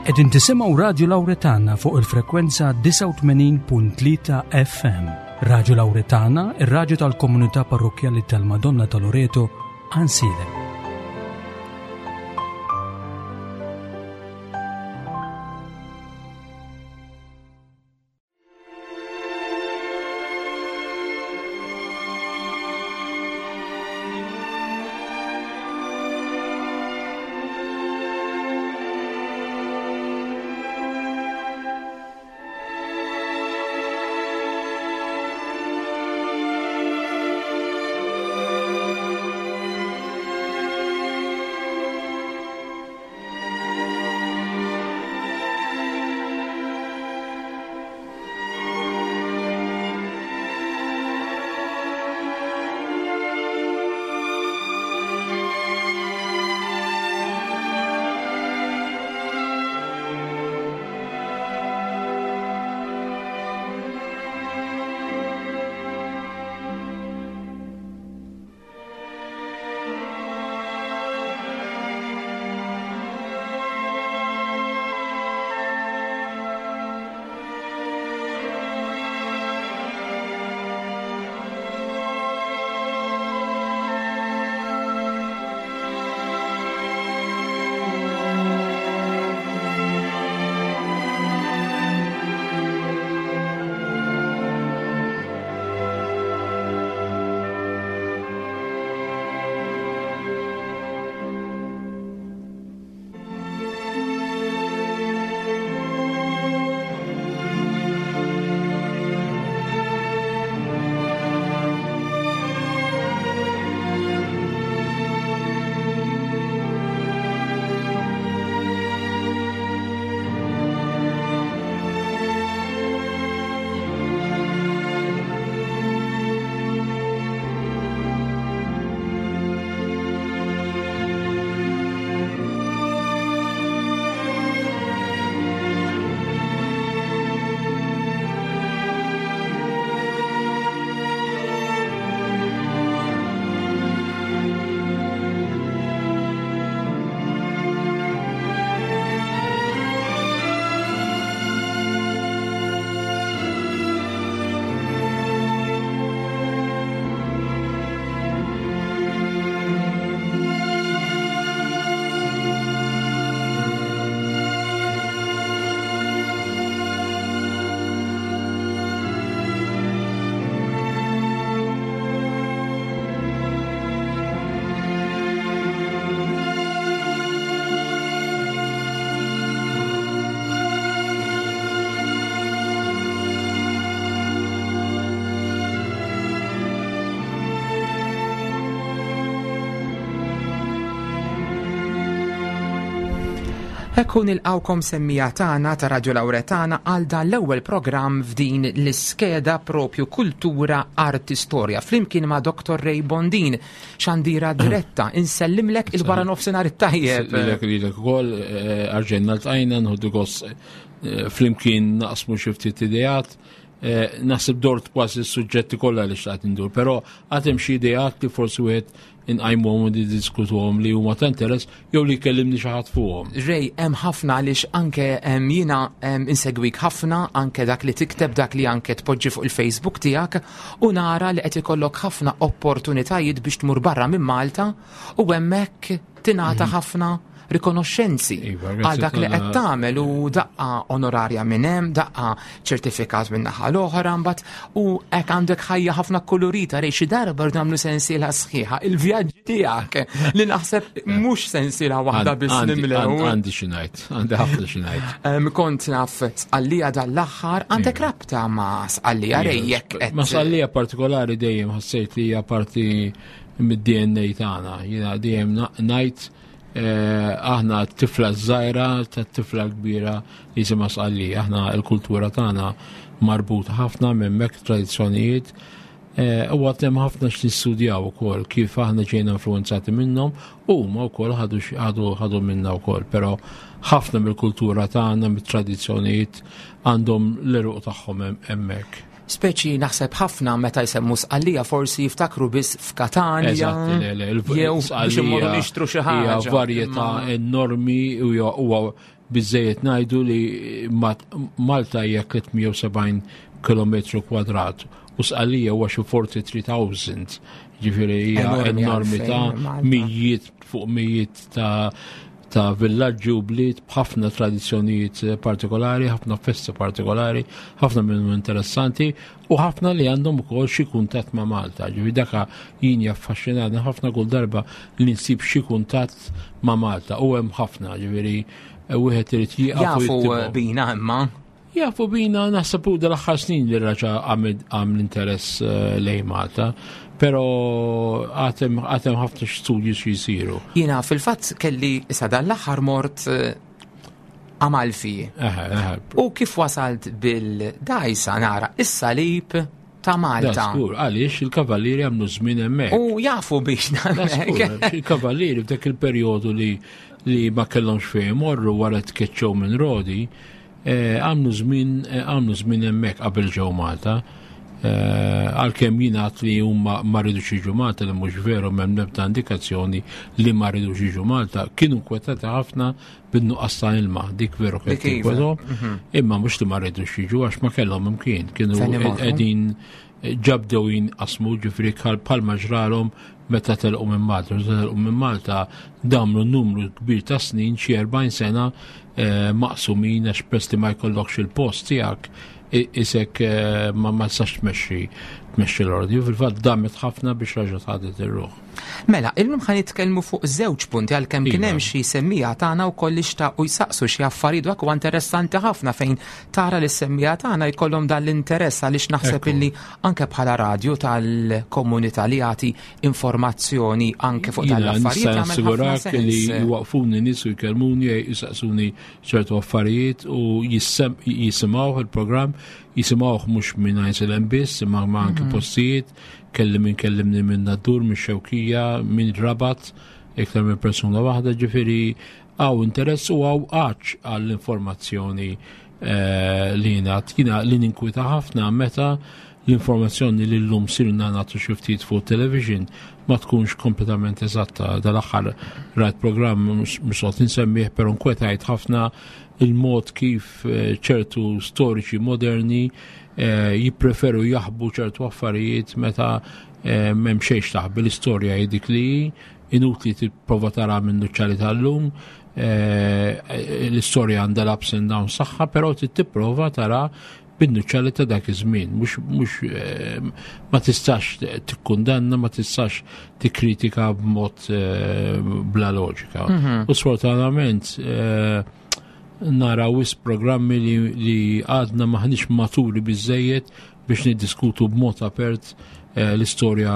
Qegħdin tisimgħu Radju Lawretana fuq il-frekwenza 89.3 FM. Radju Lawretana, ir-radju tal-komunità parrokkjali tal-Madonna ta' Loreto, Ansilem. Ekku nilqawkom semmija tagħna ta' Radio Lauretana għal dan l-ewwel programm f'din l-iskeda propju Kultura Arti Storja flimkien ma' Dr. Ray Bondin xandira diretta insellimlek il-wara nofsinhar it-tajjeb. Lilek lilek ukoll eh, arġenna l-tajna nħuddu gost eh, flimkien naqsmu xi ftit ideat. Eh, naħseb dort kważi s-suġġetti kollha li xtaqt indur, però għad hemm xi ideat li forsi wieħed inqajmuhom u niddiskutuhom li huma ta' interess jew li jkellimni xi ħadd fuqhom. Rej, hemm ħafna għaliex anke jiena insegwik ħafna anke dak li tikteb dak li anke tpoġġi fuq il-Facebook tiegħek u nara li qed ikollok ħafna opportunitajiet biex tmur barra minn Malta u hemmhekk tingħata mhm. ħafna rikonoxxenzi iva, għal dak li qed tagħmel u daqqa onorarja minn hemm, daqqa ċertifikat minn naħa l-oħra mbagħad u hekk għandek ħajja ħafna kolorita rej xi darba rridu nagħmlu sensiela sħiħa il-vjaġġi tiegħek li naħseb mhux sensiela waħda biss nimlew. Għandi xi ngħid, għandi ħafna xi ngħid. Kont naf sqallija dal-aħħar għandek iva. rabta ma' sqallija rej iva. jekk Ma' sqallija partikolari dejjem ħassejt li hija parti mid-DNA tagħna. Jiena dejjem ngħid eh, aħna t-tifla żgħira tat-tifla kbira li jisimha Sqalli. Aħna l-kultura tagħna marbuta ħafna m'hemmhekk tradizzjonijiet. Eh, u għad hemm ħafna x'nistudjaw ukoll kif aħna ġejna influenzati minnhom u huma wkoll ħadu ħadu minna wkoll, però ħafna mill-kultura tagħna, mit-tradizzjonijiet għandhom l-eruq tagħhom hemmhekk. Speċi naħseb ħafna meta jsemmu Sqallija forsi jiftakru biss f'Katanja. Eżatt, le, le, jew biex immorru nixtru xi ħaġa. Hija varjetà enormi u huwa Biżżejjed ngħidu li Malta hija 370 km kwadrat u Sqallija huwa xi 43,000, ġifieri hija enormità, mijiet fuq mijiet ta' ta' villaġġi u bliet b'ħafna tradizzjonijiet partikolari, ħafna festi partikolari, ħafna minnhom interessanti u ħafna li għandhom ukoll xi kuntatt ma' Malta. Ġifieri daka jien jaffaxxinani ħafna kull darba li nsib xi kuntatt ma' Malta u hemm ħafna, ġifieri eh, wieħed irid jieqaf. Jafu bina imma. Jafu bina naħseb u dal-aħħar snin li raġa għam l-interess eh, lejn Malta, pero għatem ħafna studji xi jsiru. Jiena fil-fatt kelli issa dan l-aħħar mort eh, Amalfi. U kif wasalt bil-dajsa nara is-salib ta' Malta. Skur, għaliex il-kavallieri għamlu żmien hemmhekk. U jafu biex Il-kavallieri f'dak il-perjodu li li ma kellhomx fejn imorru wara tkeċċew minn Rodi, eh, għamlu żmien eh, għamlu żmien hemmhekk qabel ġew Malta. Eh, għalkemm jingħad li huma ma rridux jiġu Malta li mhux veru m'hemm l-ebda indikazzjoni li ma rridux jiġu Malta, kienu nkwetati ħafna bin-nuqqas ta' ilma, dik veru kien iva. mhm. imma mhux li ma rridux jiġu għax ma kellhom imkien, kienu qegħdin eh, ġabdew jinqasmu ġifri bħalma ġralhom meta telqu minn Malta. Meta telqu minn Malta damlu numru kbir ta' snin, xi 40 sena eh, maqsumin għax press li ma jkollokx il-post tiegħek isek eh, ma ma tistax tmexxi tmexxi l-ordni. Fil-fatt damet ħafna biex raġa' tħadet ir-ruħ. Mela, illum ħa nitkellmu fuq żewġ punti għalkemm kien hemm iva. xi semmija tagħna wkoll li xtaqu jsaqsu xi affarijiet dak huwa interessanti ħafna fejn tara li semmija tagħna jkollhom dan l-interess għaliex naħseb illi anke bħala radju tal-komunità li jagħti informazzjoni anke fuq dan l-affarijiet. Nista' li jwaqfuni nies u jkellmuni jsaqsuni ċertu affarijiet u jisimgħu il-programm jisimgħuh mhux minn Għajnsilem biss imma anke mhm. postijiet Kelli min kellimni minn Nadur, minn Xewkija, minn Rabat, iktar minn persuna waħda, ġifieri għaw interess u għaw għaċ għall-informazzjoni eh, li jingħad. Jiena li ninkwita ħafna meta l-informazzjoni li l-lum sirna nagħtu xi ftit fuq television ma tkunx kompletament eżatta. Dal-aħħar rajt programm mhux qed insemmih, però nkwetajt ħafna il-mod kif eh, ċertu storiċi moderni eh, jippreferu jaħbu ċertu affarijiet meta eh, m'hemm xejn taħbi l-istorja hi dik li inutli tipprova tara minn nuċċali tal-lum, eh, l-istorja għandha l-ups and downs saħħa, però trid tipprova tara bin-nuċċali ta' dak iż-żmien, mhux ma tistax tikkundanna, ma tistax tikkritika b'mod bla loġika. Mhm. U sfortunatament nara wis programmi li, li għadna maħniex maturi biżejjed biex niddiskutu b'mod apert eh, l-istorja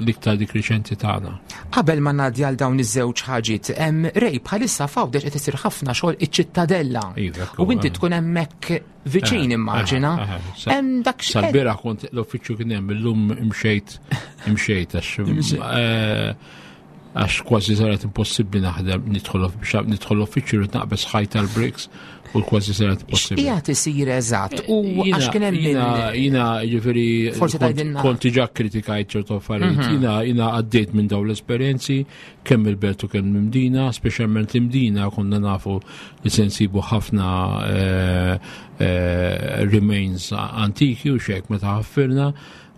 l-iktar dik riċenti tagħna. Qabel ma ngħaddi għal dawn iż-żewġ ħaġiet, rej bħalissa f'Għawdex qed isir ħafna xogħol iċ-ċittadella. Iva, u inti eh. tkun hemmhekk viċin eh, immaġina. Hemm dak Sal-bieraħ kont l-uffiċċju kien hemm illum imxejt imxejt għax għax kważi saret impossibbli naħdem nidħol biex nidħol l-uffiċċju rrid naqbeż ħajt tal-bricks u kważi saret impossibbli. Qiegħed isir eżatt u għax kien hemm jiena jiena jiġifieri kont diġà kritikajt ċertu affarijiet. Mhm. Jiena jiena għaddejt minn dawn l-esperjenzi kemm il-belt u kemm l-Imdina, speċjalment l-Imdina konna nafu li se nsibu ħafna eh, eh, remains antiki u xek meta ħaffirna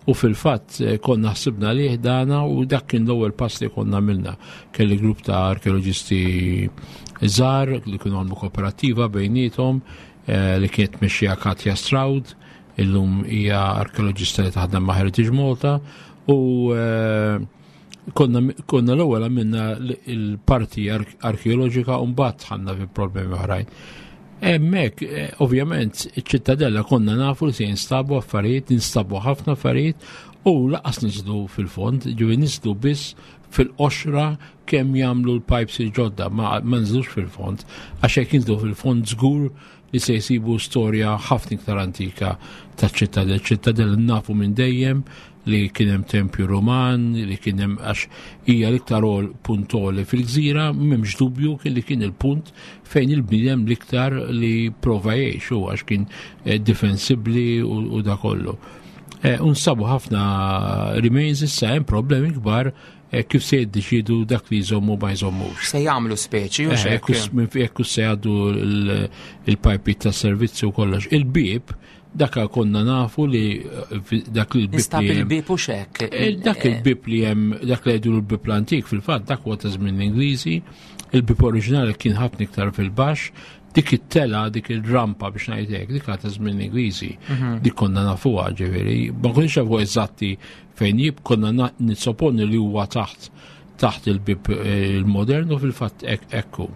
U fil-fatt eh, konna ħsibna lih dana u dak kien l-ewwel pass li konna għamilna. Kelli grupp ta' arkeoloġisti żgħar li kienu għamlu kooperattiva bejniethom eh, li kienet mexxija Katja Stroud, illum hija arkeoloġista li taħdem ma' Heritage Malta u eh, konna, konna l-ewwel għamilna l-parti arkeoloġika u mbagħad ħanna fi problemi oħrajn. Hemmhekk, eh, ovvjament, iċ-ċittadella konna nafu li se jinstabu affarijiet, jinstabu ħafna affarijiet u laqas niżlu fil-fond, ġivi niżlu biss fil-qoxra kemm jagħmlu l-pipes il-ġodda, ma nżlux fil-fond, għax jekk jinżlu fil-fond żgur li se jsibu storja ħafna iktar antika taċ-ċittadella. ċittadella nafu minn dejjem li kien hemm tempju Ruman, li kien hemm għax hija l-iktar puntoli fil-gżira, m'hemmx dubju kien li kien il-punt fejn il-bniedem l-iktar li prova jgħix u għax kien eh, difensibbli u da kollu. Eh, unsabu ħafna remains issa hemm problemi kbar. kif se jiddeċidu dak li jżommu ma jżommux. Se jagħmlu speċi u xek. Jekk se jgħaddu il-pajpi ta' servizzi u kollox. Il-bib daka konna nafu li dak li l-bib. Nistab il-bib u xek. Dak il-bib li hemm dak li jgħidu l-bib l-antik fil-fatt dak huwa ta' żmien l-Ingliżi, il-bib oriġinali kien ħafna iktar fil-baxx, dik it-tela, dik il-rampa biex ngħidlek, dik ta' żmien Ingliżi, dik konna nafuha ġifieri, ma konniex nafu eżatti fejn jib konna nissoponi li huwa taħt taħt il-bib eh, il-modern u fil-fatt ekku.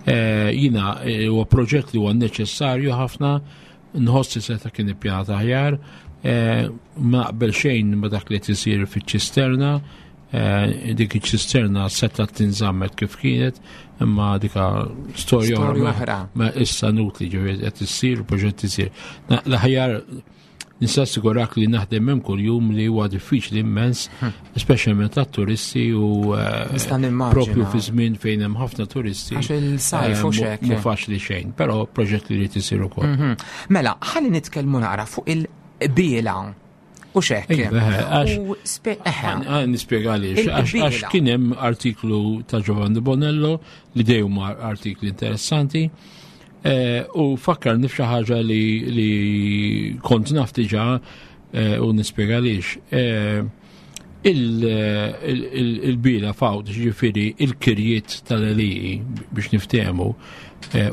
Eh, jina eh, huwa proġett li huwa neċessarju ħafna, nħossi seta kien ippjanat aħjar, ma naqbel xejn ma dak li tisir fiċ-ċisterna, dik iċ-ċisterna seta tinżammet kif kienet, imma dika storja oħra. Ma issa nutli ġifieri qed issir, proġett isir. L-aħjar Nista' assigurak li naħdem hemm kuljum li huwa diffiċli immens, speċjalment għat-turisti u eh, propju fi żmien fejn hemm ħafna turisti. Għax il-sajf u eh, xek. Mhu faċli xejn, però proġett li jrid isir ukoll. Mela, ħalli nitkellmu naqra fuq il-biela u xek. Iva, eh, Nispjega għaliex, għax kien hemm artiklu ta' Giovanni Bonello li dejjem artikli interessanti. Eh, u fakkarni f'xi ħaġa li, li kont naf diġà eh, u nispjega għaliex. Eh, il-bila fawd, ġifiri il-kirjiet tal-eliji biex niftehmu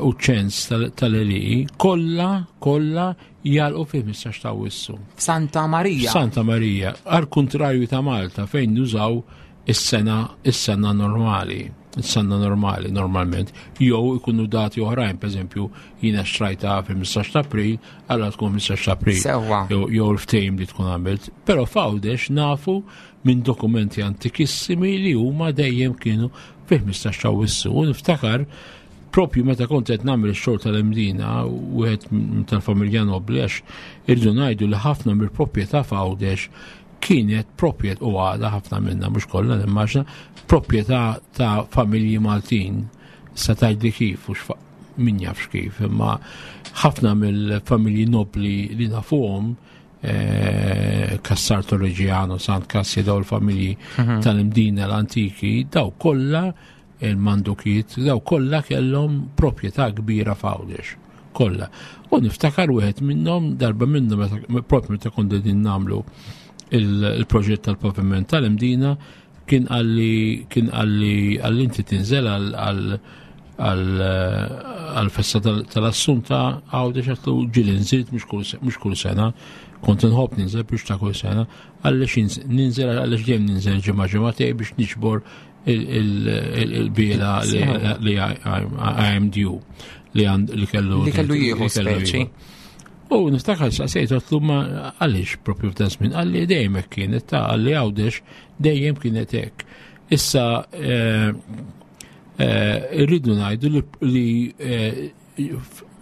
u ċens tal-eliji, kollha kollha jalqu fi 15 ta' wissu. Santa Marija. Santa Marija, għal kontrarju ta' Malta fejn nużaw is-sena is-sena normali, is-sena normali normalment, jew ikunu dati oħrajn, pereżempju jiena xtrajta fil-15 ta' April, allura tkun 15 ta' April. Sewwa. Jew l-ftehim li tkun għamilt. Però f'Għawdex nafu minn dokumenti antikissimi li huma dejjem kienu fil-15 ta' Awwissu. U niftakar propju meta kont qed nagħmel ix-xogħol tal-Imdina wieħed tal-familja Nobli għax irridu ngħidu li ħafna mill-proprjetà f'Għawdex kienet proprjet u għadha ħafna minna mhux kollha nimmaġna proprjetà ta' familji Maltin. Sa tgħidli kif u min jafx kif, imma ħafna mill-familji nobli li nafuhom eh, Cassar Torregiano, Sant Cassia, daw il-familji tal-Imdina l-antiki, daw kollha il-Mandukiet, daw kollha kellhom proprjetà kbira f'Għawdex. Kollha. U niftakar wieħed minnhom darba minnhom propju meta kont qegħdin nagħmlu il-proġett tal-paviment tal-Imdina kien qalli kien qalli għalli inti tinżel għal-festa tal-Assunta Għawdex għatlu ġieli nżilt mhux kull sena, kont inħobb ninżel biex ta' kull sena, għaliex ninżel għaliex dejjem ninżel ġimgħa ġimgħatej biex niġbor il-biela li IMDU li għand li kellu li kellu jieħu speċi. U niftakar saqsejt għatlu ma għaliex propju f'dan żmien għalli dejjem hekk kienet ta' għalli għawdex dejjem kienet hekk. Issa eh, eh, irridu ngħidu li eh,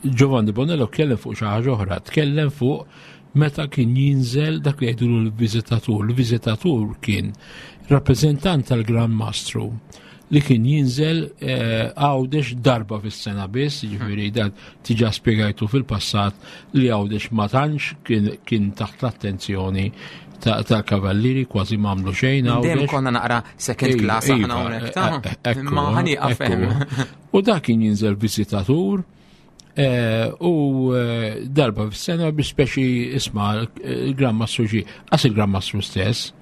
Giovanni Bonello tkellem fuq xi ħaġa oħra, tkellem fuq meta kien jinżel dak li jgħidulu l-viżitatur. L-viżitatur kien rappreżentant tal-Gran Mastru li kien jinżel eh, għawdex darba fis-sena biss, jiġifieri dan tiġa spjegajtu fil-passat li għawdex ma tantx kien taħt l-attenzjoni tal-kavallieri kważi m'għamlu xejn għawdex. Dejjem konna naqra second class aħna hawnhekk ta' eh, eh, ma ħanieqaf hemm. U dak kien jinżel viżitatur eh, u eh, darba fis-sena biex speċi isma' il-Gran Mastru ġie, qas il-Gran Mastru stess,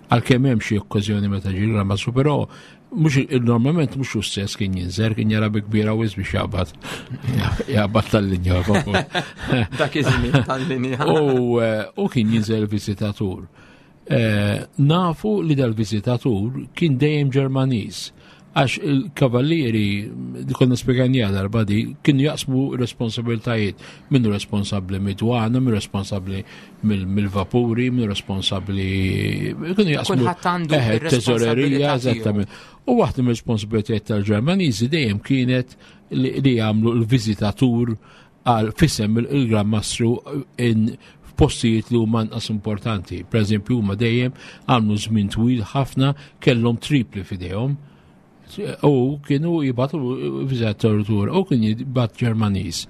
għalkemm hemm xi okkażjoni meta ġie il-Gran Mastru, però mhux normalment mhux hu stess kien jinżel, kien jara bi kbira wis biex jaqbad. Jaqbad tal-linja. Dak iż-żmien tal-linja. Eh, u kien jinżel viżitatur. Eh, nafu li dal-viżitatur kien dejjem Ġermaniż għax il-kavallieri, di konna spiegħanija darba di, kienu jaqsmu responsabiltajiet. Minnu responsabli mid-dwana, minnu responsabli mill-vapuri, minnu responsabli. Kienu jaqsmu. Kulħadd għandu eh, teżorerija, eżattament. U waħda mir-responsabilitajiet tal-Ġermaniżi dejjem kienet li jagħmlu l-viżitatur għal fisem il-Gran Mastru in f'postijiet li huma anqas importanti. Per eżempju, huma dejjem għamlu żmien twil ħafna kellhom tripli f'idejhom u kienu jibatu viżatur u kien jibat Ġermaniż.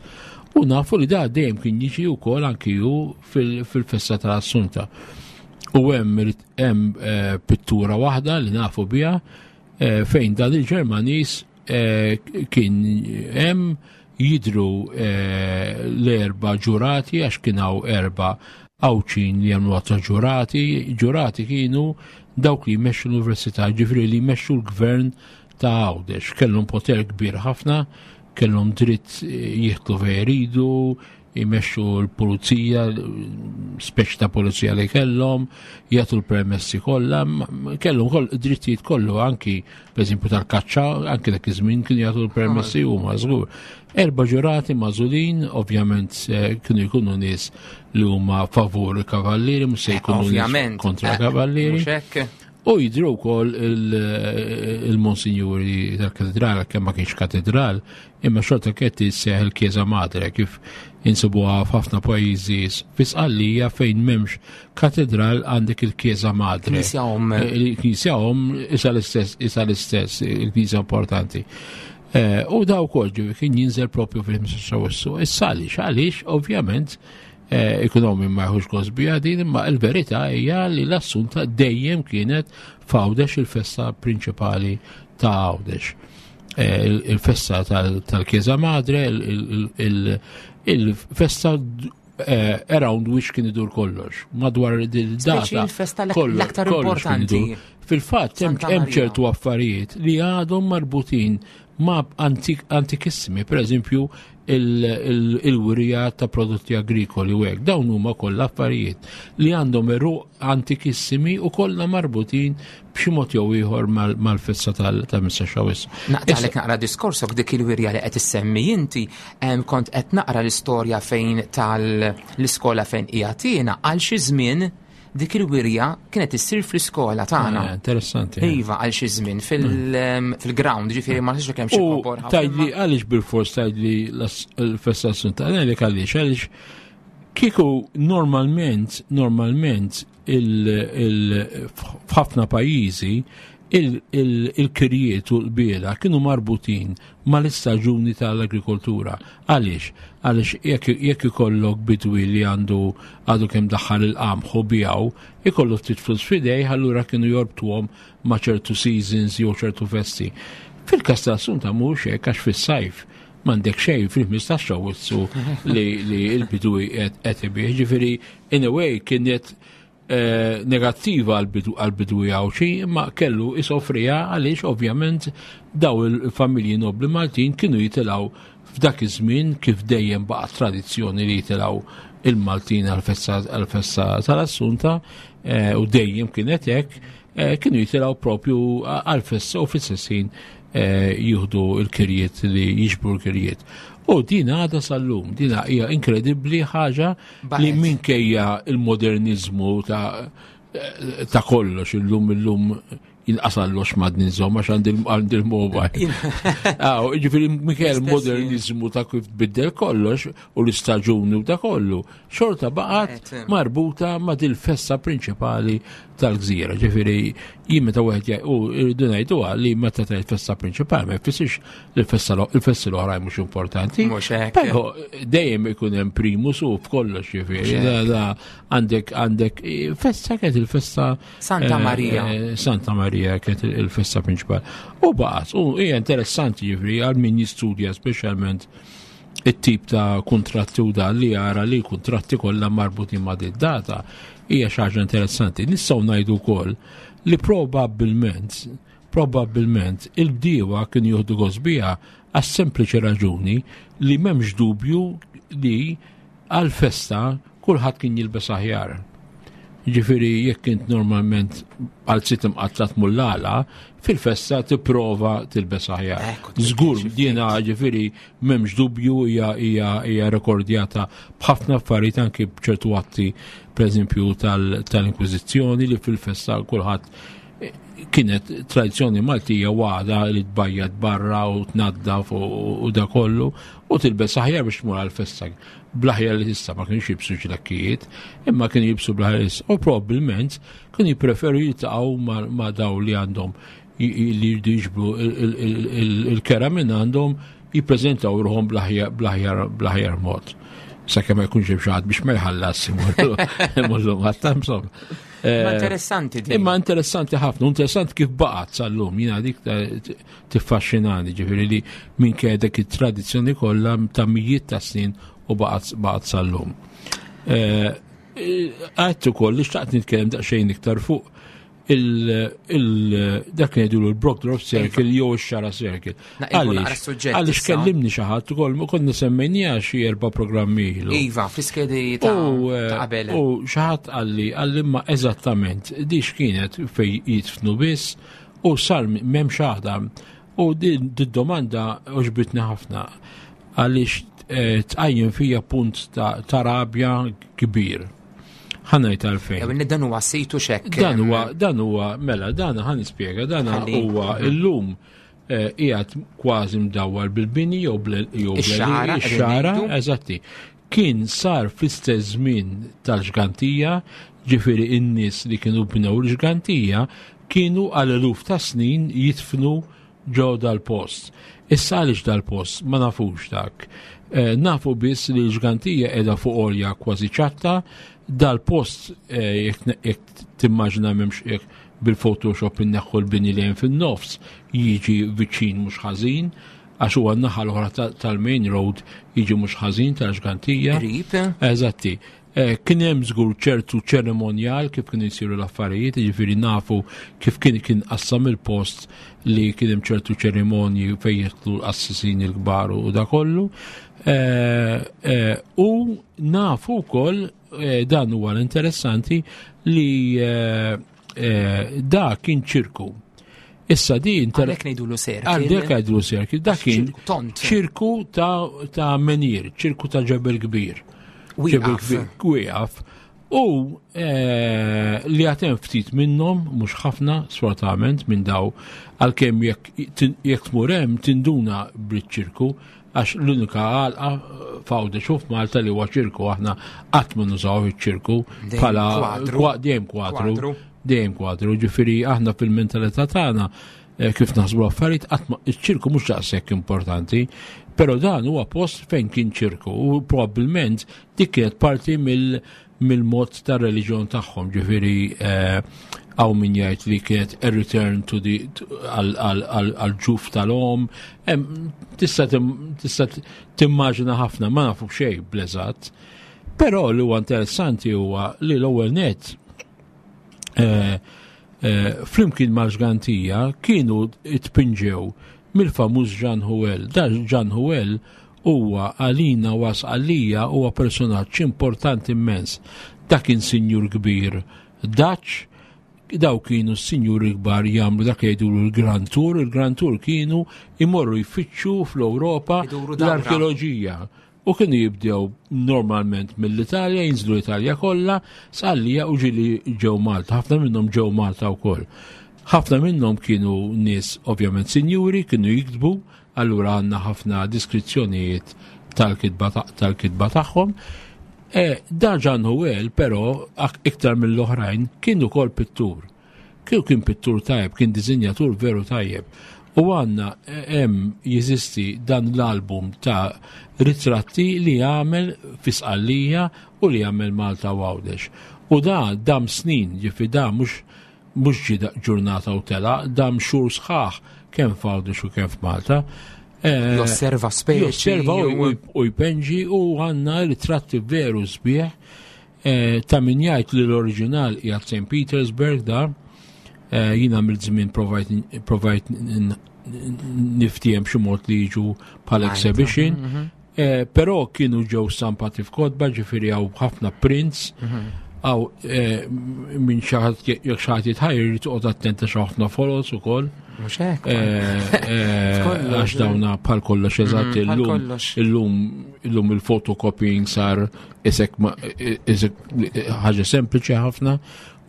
U nafu li da dejjem kien jiġi wkoll anki hu fil-festa tal-Assunta. U hemm hemm eh, pittura waħda li nafu biha eh, fejn dan il-Ġermaniż eh, kien hemm jidru l-erba ġurati għax kien hawn erba Għawdxin li jagħmlu ta' ġurati, ġurati kienu dawk li jmexxu l-università, ġifieri li jmexxu l-gvern ta' Għawdex. Kellhom poter kbir ħafna, kellhom dritt jieħdu fejn iridu, jmexxu l-pulizija, speċi ta' pulizija li kellhom, jagħtu l-permessi kollha, kellhom koll drittijiet kollu anki pereżempju tal-kaċċa, anki dak iż-żmien kienu jagħtu l-permessi huma żgur. Erba' ġurati magħżulin, ovvjament eh, kienu jkunu nies li huma favur il-kavallieri, mhux se jkunu nies kontra eh, kavallieri. U jidru wkoll il-monsinjuri tal-katedral, kemm ma kienx katedral, imma xorta kienet isseħ il-Chiesa Madre kif insibuha f'ħafna pajjiżi fi Sqallija fejn m'hemmx katedral għandek il-Chiesa Madre. Knisja omm. Eh, il-Knisja omm isa l-istess, isa l-istess, il-Knisja importanti. Eh, u daw kol kien jinżel propju fil-15 Awwissu. Issa għaliex, għaliex ovvjament Eh, ekonomi ma jħux gost biha din, imma l-verità hija li l-Assunta dejjem kienet f'Għawdex il-festa prinċipali ta' Għawdex. Eh, il-festa tal-Chiesa Madre, il-festa eh, around which kien idur kollox, madwar il-data. Il-festa l-aktar importanti. Fil-fatt hemm ċertu affarijiet li għadhom marbutin ma' antikissimi, per eżempju il-wirja ta' prodotti agrikoli u hekk. Dawn huma kollha affarijiet li għandhom eruq antikissimi u kollha marbutin b'xi mod jew ieħor mal-festa tal-Missa Xawis. Naqtalek naqra diskorsok dik il-wirja li qed issemmi inti kont qed naqra l-istorja fejn tal-iskola fejn qiegħed għal xi żmien dik il-wirja kienet issir fl-iskola tagħna. Ah, interessanti. Eh. Iva għal xi żmien mm. fil-ground, ġifieri ma nafx kemm xi kobor. Tajdli għaliex bil-fors tajdli l-festa Assunta, għalek għaliex għaliex kieku normalment normalment f'ħafna pajjiżi il-kirjiet u l-biela kienu marbutin mal-istaġuni tal-agrikoltura. Għaliex? Għaliex jekk ikollok bidwi li għandu għadu kemm daħħal il-qamħ u bijaw, ikollu ftit flus f'idejh, allura kienu jorbtuhom ma' ċertu seasons jew ċertu festi. Fil-każ tal-Assunta mhux hekk għax fis-sajf m'għandek xejn fil-15 Awwissu li l-bidwi qed ibih. Ġifieri in a way kienet Eh, negattiva għal-bidwi Għawdxi, imma kellu isofriha għaliex ovvjament daw il-familji nobli Maltin kienu jitilgħu f'dak iż-żmien kif dejjem baqa' tradizzjoni li jitilgħu il-Maltin għal-festa tal-Assunta eh, u dejjem kienet hekk, eh, kienu jitilgħu propju għal-festa u fl-istess jieħdu l-kirjiet li jiġbru l-kirjiet. U din għadha sal-lum, din hija inkredibbli ħaġa li minkejja il-modernizmu ta' ta' kollox illum illum jinqasallox madni nżomm għax għandi l-mobile. Ġifieri minkejja l-modernizmu ta' kif tbiddel kollox u l-istaġuni u ta' kollu, xorta baqgħet marbuta ma' dil-festa prinċipali tal-gżira. Ġifieri jien meta wieħed u rridu ngħiduha li meta tgħid festa prinċipali ma jfissirx li l-festa il-festi l-oħrajn mhux importanti. Mhux hekk. Però dejjem ikun hemm primus u f'kollox ġifieri. Da għandek għandek festa kienet il-festa Santa eh, Maria. Eh, Santa Maria kienet il-festa prinċipali. U baqgħet, u hija interessanti ġifieri għal min jistudja speċjalment it-tip ta' kuntratti u dan li jara li l-kuntratti kollha marbutin ma' din data hija xi ħaġa interessanti. Nistgħu ngħidu wkoll li probabbilment probabbilment il-bdiewa kienu jieħdu gost biha għas-sempliċi raġuni li m'hemmx dubju li għal-festa kulħadd kien jilbes aħjar. Ġifieri jekk int normalment għal sit imqatta tmur l-għala, fil-festa tipprova tilbes aħjar. Żgur jiena ġifieri m'hemmx dubju hija hija hija rekordjata b'ħafna affarijiet anki b'ċertu atti pereżempju tal-Inkwiżizzjoni li fil-festa kulħadd kienet tradizzjoni Maltija waħda li tbajjad barra u tnaddaf u da kollu u tilbes aħjar biex tmur għal-festa bl-aħjar li tista' ma kienx jibsu ġlakkijiet, imma kienu jibsu bl-aħjar li tista' u probabbilment kienu jippreferu jiltaqgħu ma' daw li għandhom li jridu jiġbru il-kera minn għandhom jippreżentaw ruħhom bl-aħjar mod. Sakemm ma jkunx hemm xi ħadd biex ma jħallas imorru Malta, insomma. Imma interessanti din. Imma interessanti ħafna, interessanti kif baqgħet sal-lum, jiena dik tiffaxxinani, ġifieri li minn dik it-tradizzjoni kollha ta' mijiet ta' snin u baqgħet sal-lum. Għedt ukoll li xtaqt nitkellem daqsxejn iktar fuq dak li ngħidulu l-Brockdorff Circle jew ix-Xara Circle. Għaliex għaliex kellimni xi ħadd ukoll ma konna semmejniha xi erba' programmi ilu. Iva, fl-iskedi ta' eh, qabel. U xi ħadd qalli qalli ma eżattament di x'kienet fej jitfnu biss u sar m'hemm xaħda. U din domanda oġbitni ħafna għaliex eh, tqajjem fija punt ta' rabja kbir. Ħanajt għalfejn. Jew dan huwa situ xekk. Dan huwa dan huwa mela dan ħan nispjega dan huwa mhm. illum eh, qiegħed kważi mdawwar bil-bini jew jew ix-xara, eżatti. Kien sar fl-istess żmien tal-ġgantija, ġifieri in-nies li kienu bnew l-ġgantija kienu għal eluf ta' snin jitfnu ġo dal-post. Issa għaliex dal-post ma nafux dak. Eh, nafu biss li l-ġgantija qiegħda fuq għolja kważi ċatta, dal-post eh, jekk timmaġina m'hemmx jekk bil-Photoshop inneħħu l-bini li hemm fin-nofs jiġi viċin mhux ħażin għax huwa n-naħa l-oħra tal-main road jiġi mhux ħażin tal-ġgantija. Eżatti. Eh, kien hemm żgur ċertu ċerimonjal kif kienu jsiru l-affarijiet, jiġifieri nafu kif kien kien qassam il-post li kien hemm ċertu ċerimonji fejn jidħlu l-qassisin il-kbar u da kollu. Eh, eh, u nafu wkoll dan huwa l-interessanti li da kien ċirku. Issa di inter... Għalek ngħidulu serki. Għalek ngħidulu serki. Da kien ċirku ta' menir, ċirku ta' ġebel kbir. Ġebel kbir, wieqaf. U eh, li għatem ftit minnhom, mhux ħafna, sfortunatament minn daw, għalkemm jekk tmur hemm tinduna bl-ċirku, għax l-unika għalqa f'Għawdex u f'Malta li huwa ċirku aħna qatt ma nużaw iċ-ċirku bħala dejjem kwadru. Dejjem kwadru, ġifieri aħna fil-mentalità tagħna eh, kif naħsbu affarijiet qatt iċ-ċirku mhux daqshekk importanti, però dan huwa post fejn kien ċirku u probabbilment dik kienet parti mill mill-mod ta' reliġjon tagħhom, ġifieri eh, hawn min jgħid li kienet a return to the għal ġuf tal-om, tista' timmaġina ħafna ma nafu xejn bl-eżatt. Però li huwa interessanti huwa li l-ewwel net eh, eh, flimkien mal-ġgantija kienu tpinġew mill-famuż Jean Huel. Da Jean Huel huwa għalina was għalija huwa personaġġ importanti immens. Dak kien sinjur kbir Dutch, daw kienu s-sinjuri kbar jagħmlu dak li jgħidulu l-Grand Tour, il-Grand Tour kienu imorru jfittxu fl-Ewropa l-arkeoloġija. U kienu jibdew normalment mill-Italja, jinżlu l-Italja kollha, Sqallija u ġili ġew Malta, ħafna minnhom ġew Malta wkoll. Ħafna minnhom kienu nies ovvjament sinjuri, kienu jiktbu, allura għandna ħafna diskrizzjonijiet tal-kitba tagħhom. E, da Jean Huel, però, iktar mill-oħrajn, kien ukoll pittur. Kien kien pittur tajjeb, kien dizinjatur veru tajjeb. U għanna e, hemm jeżisti dan l-album ta' ritratti li għamel fi Sqallija u li għamel Malta u Għawdex. U da dam snin, ġifi da mhux mhux ġie ġurnata u tela, dam xhur sħaħ kemm f'Għawdex u kemm f'Malta. Eh, josserva speċi. Josserva u jpenġi u għanna ritratti veru sbieħ eh, ta' min jgħid li l-oriġinal qiegħed St. Petersburg da eh, jina mill-żmien provajt niftiem xi mod li jiġu bħal exhibition. Mhm. Eh, però kienu ġew stampati f'kotba, ġifieri hawn ħafna prints, mhm. għaw eh, minn xaħat jek xaħat jitħajr jrid toqgħod attenta xi ħafna folos ukoll. Mhux hekk. Eh, għax dawna bħal kollox eżatt mhm, illum illum illum il-photocopying sar isek isek ħaġa sempliċi ħafna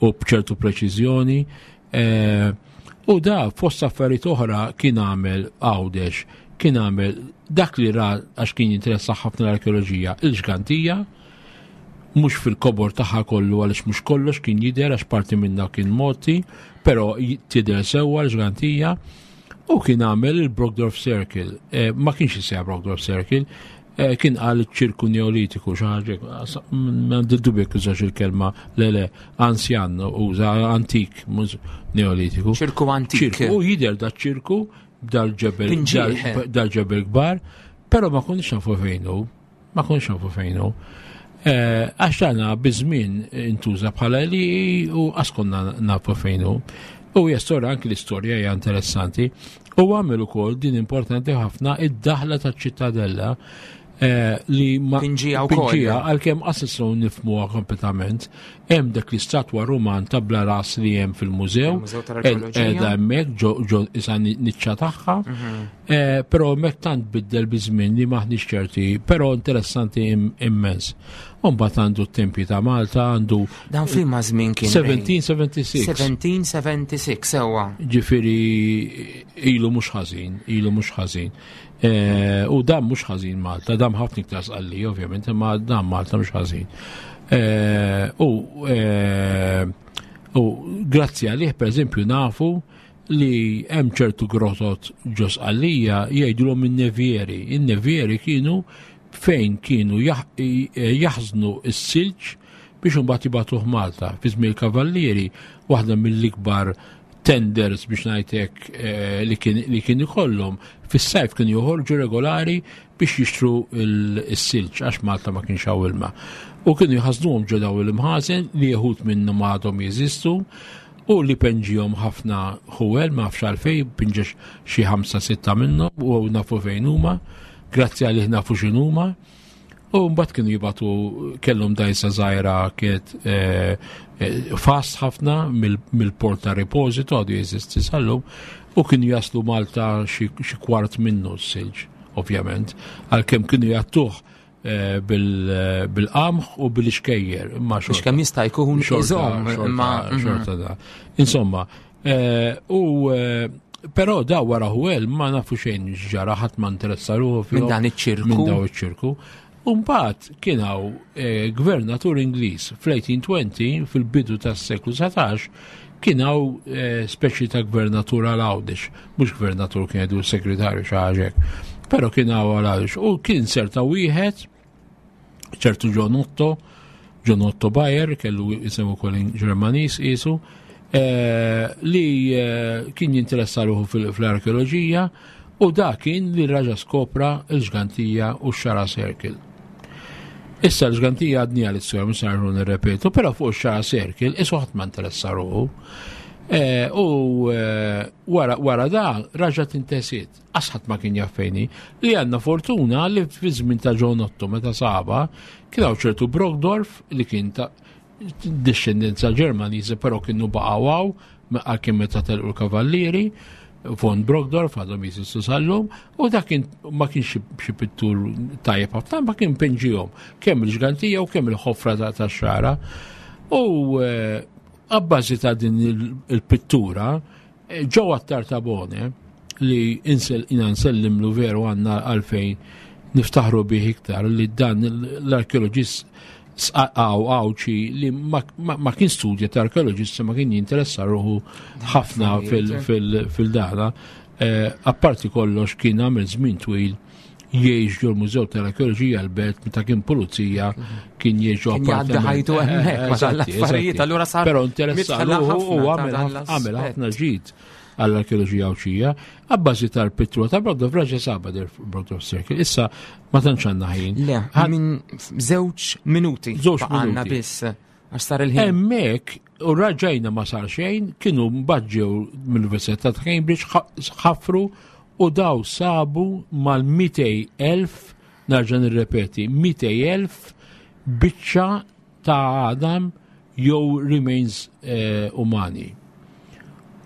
u b'ċertu preċiżjoni. U da fost affarijiet oħra kien għamel Għawdex, kien għamel dak li ra għax kien jinteressa ħafna l-arkeoloġija, il-ġgantija, mhux fil-kobor tagħha kollu għaliex mhux kollox kien jidher għax parti minna kien moti, però tidher sewwa l-ġgantija. U kien għamel il-Brockdorff Circle. Eh, ma kienx jisejja Brockdorff Circle. Eh, kien qal ċirku neolitiku xi ħaġa m'għandi dubju jekk użax il-kelma le le anzjan uża antik mhux neolitiku. Ċirku antik. Ċirku u jidher da ċirku dal-ġebel dal-ġebel kbar, però ma konniex nafu fejn hu, ma konniex nafu fejn hu. Eh, għax tagħna biż-żmien intuża bħala li u għas konna nafu fejn hu. U hija storja anki l-istorja hija interessanti. U għamel ukoll din importanti ħafna id-daħla taċ-ċittadella eh, li ma pinġija wkoll. Għalkemm qas nistgħu nifhmuha kompletament, hemm dak l-istatwa Ruman ta' bla ras li hemm fil-mużew, qiegħda hemmhekk ġo isa niċċa tagħha, mhm. eh, però hemmhekk tant biddel biż-żmien li maħniex ċerti, però interessanti immens. Umbat għandu t-tempji ta' Malta, għandu. Dan f'liema żmien kien? 1776. 1776, sewwa. Ġifieri ilu mhux ħażin, ilu mhux ħażin. Eh, u dan mhux ħażin Malta, dan ħafna iktar sqalli, ovvjament, imma dan Malta mhux ħażin. Eh, u eh, u grazzi għalih, per eżempju, nafu li hemm ċertu grotot ġo Sqallija jgħidulhom in-nevieri. In-nevieri kienu fejn kienu jaħżnu s-silġ biex imbagħad jibagħtuh Malta. Fi żmien il-Kavallieri, waħda mill-ikbar tenders biex ngħidlek eh, li kien ikollhom fis-sajf kienu joħorġu regolari biex jixtru s-silġ għax Malta ma kienx hawn ilma. U kienu jħażnuhom ġo daw il-imħażen li jeħud minnhom għadhom jeżistu u li penġihom ħafna ħuwel ma nafx għalfejn pinġex xi ħamsa sitta minnhom u nafu fejn huma. Grazzi għalih nafu x'inhuma. U mbagħad kienu jibatu kellhom dajsa żgħira kienet eh, eh, fast ħafna mill-port ta' reposito għadu jeżisti sallum u kienu jaslu Malta xi kwart minnu s-silġ, ovvjament, għalkemm kienu jattuh eh, bil-qamħ u bil-xkejjer. Imma xorta. Kemm jista' jkun iżomm imma mhm. xorta da. Insomma, Eh, u eh, però da wara Huel ma nafu xejn ġara ħadd ma interessa ruħu minn dan iċ-ċirku. Minn daw iċ-ċirku. Umbagħad kien hawn eh, gvernatur Ingliż fl-1820 fil-bidu tas-seklu 19 kien hawn speċi ta' gvernatur għal Għawdex, mhux gvernatur kien jgħidu segretarju xi ħaġa Però kien hawn għal Għawdex u kien serta wieħed ċertu John Otto, John Otto Bayer, kellu isem ukoll Ġermaniż qisu, eh, li eh, kien jinteressa ruħu fl-arkeoloġija u da kien li raġa skopra l-ġgantija u x-xara circle. Issa l-ġgantija għadni għal istorja mhux sarru nirrepetu, però fuq x-xara circle isu ħadd ma interessa ruħu. Eh, u wara da raġa tintesiet. Qas ħadd ma kien jaf fejn hi. Li għandna fortuna li fi żmien ta' John Otto meta saba kien hawn ċertu Brockdorf li kien ta' discendenza Ġermaniża però kienu baqgħu hawn għalkemm meta telqu l-kavallieri von Brockdorf għadhom jeżistu sal-lum u dak kien ma kienx xi pittur tajjeb ħafna ma kien pinġihom kemm il-ġgantija u kemm il-ħofra ta' xara. U eh, abbażi ta' din il-pittura Ġo Attartabone li insel jina nsellimlu veru għanna għalfejn niftaħru bih iktar li dan l-arkeologist għaw għawċi li ma kien studja ta' arkeologist ma kien jinteressa ruħu ħafna fil-dana. Eh, apparti kollox kien għamil żmien twil jgħix ġol mużew tal-arkeoloġija l-belt meta kien pulizija kien jgħix ġo appartament. ħajtu eh, hemmhekk ma tal-affarijiet allura sar. Però interessa u għamel ħafna ġid għall-arkeoloġija Għawdxija, għabbażi tal-pittura ta' Brodov raġa saba del Brodov Circle. Issa ma tantx għandna ħin. Le, minn żewġ minuti. Żewġ minuti. biss. Għax sar il-ħin. Hemmhekk u raġajna ma sar xejn, kienu mbagħad ġew mill-Università ta' Cambridge ħafru u daw sabu mal-200,000 narġa' nirrepeti, 200,000 biċċa ta' għadam jew remains eh, umani.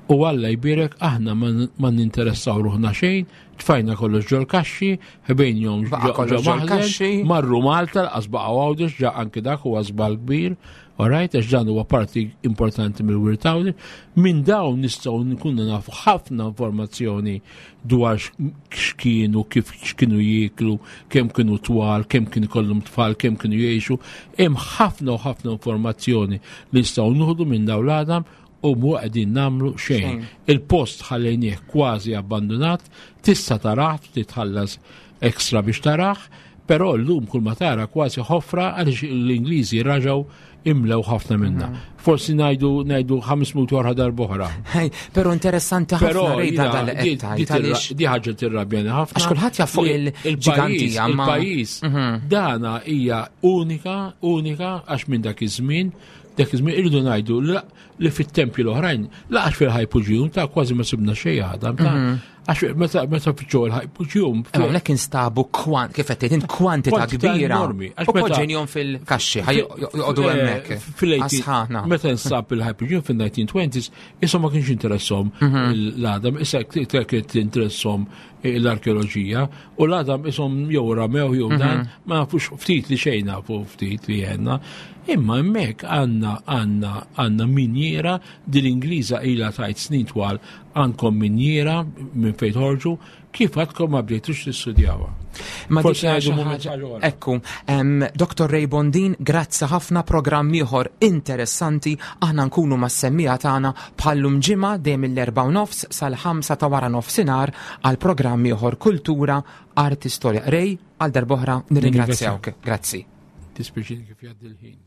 U Alla jbierek aħna ma ninteressaw ruħna xejn, tfajna kollox ġol kaxxi, ħbejnjom ġol kaxxi, marru Malta, l-qas baqgħu Għawdex, ġa anki dak huwa żball kbir, alright, għax dan huwa parti importanti mill-wirt Għawdex. Minn dawn nistgħu nkunu nafu ħafna informazzjoni dwar x'kienu, kif x'kienu jieklu, kemm kienu twal, kemm kien ikollhom tfal, kemm kienu jgħixu. Hemm ħafna u ħafna informazzjoni li nistgħu nieħdu minn dawn l-għadam u mhu qegħdin nagħmlu xejn. Il-post ħallejnieh kważi abbandunat, tista' tarah, titħallas ekstra biex tarah, Però llum kull ma tara kważi ħofra għaliex l-Ingliżi raġgħu imlew ħafna minna. Forsi ngħidu ngħidu 500 oħra darb'oħra. Però interessanti ħafna rejda dal Di ħaġa tirrabjani ħafna. Għax kulħadd jaf fuq il-ġigantija. Il-pajjiż mhm. dana hija unika, unika għax minn dak iż-żmien, dak iż-żmien irridu ngħidu li fit-tempji l-oħrajn laqax fil-ħajpuġjum ta' kważi ma sibna xejn għadam ta' mhm. Għax meta meta fiċċu l-ħajpuġjum. Hawnhekk instabu kwant kif qed tgħid kwantità kbira. Enormi. U poġġenjhom fil-kaxxi ħaj joqogħdu eh, hemmhekk. Fil-80 Meta nsab il-ħajpuġjum fil-1920s, issa ma kienx interessom mhm. l-għadam, issa kienet interessom l-arkeoloġija u l-għadam isom jew ramew jew dan, mhm. ma nafux ftit li xejn nafu ftit li għenna. Imma hemmhekk għandna għandna għandna minjiera din l-Ingliża ilha tajt snin twal għandkom minjiera minn fejn tħorġu, kif għadkom ma bdejtux tistudjawha. Ma dik Ekku, Dr. Ray Bondin, grazzi ħafna programm ieħor interessanti aħna nkunu mas-semmija tagħna bħallum ġimgħa dejjem mill-4 nofs sal-5 ta' wara nofsinhar għal programm ieħor Kultura, Arti, Storja. Ray, għal darb'oħra nirringrazzjawk. Grazzi. Dispjaċini kif jgħaddi l-ħin.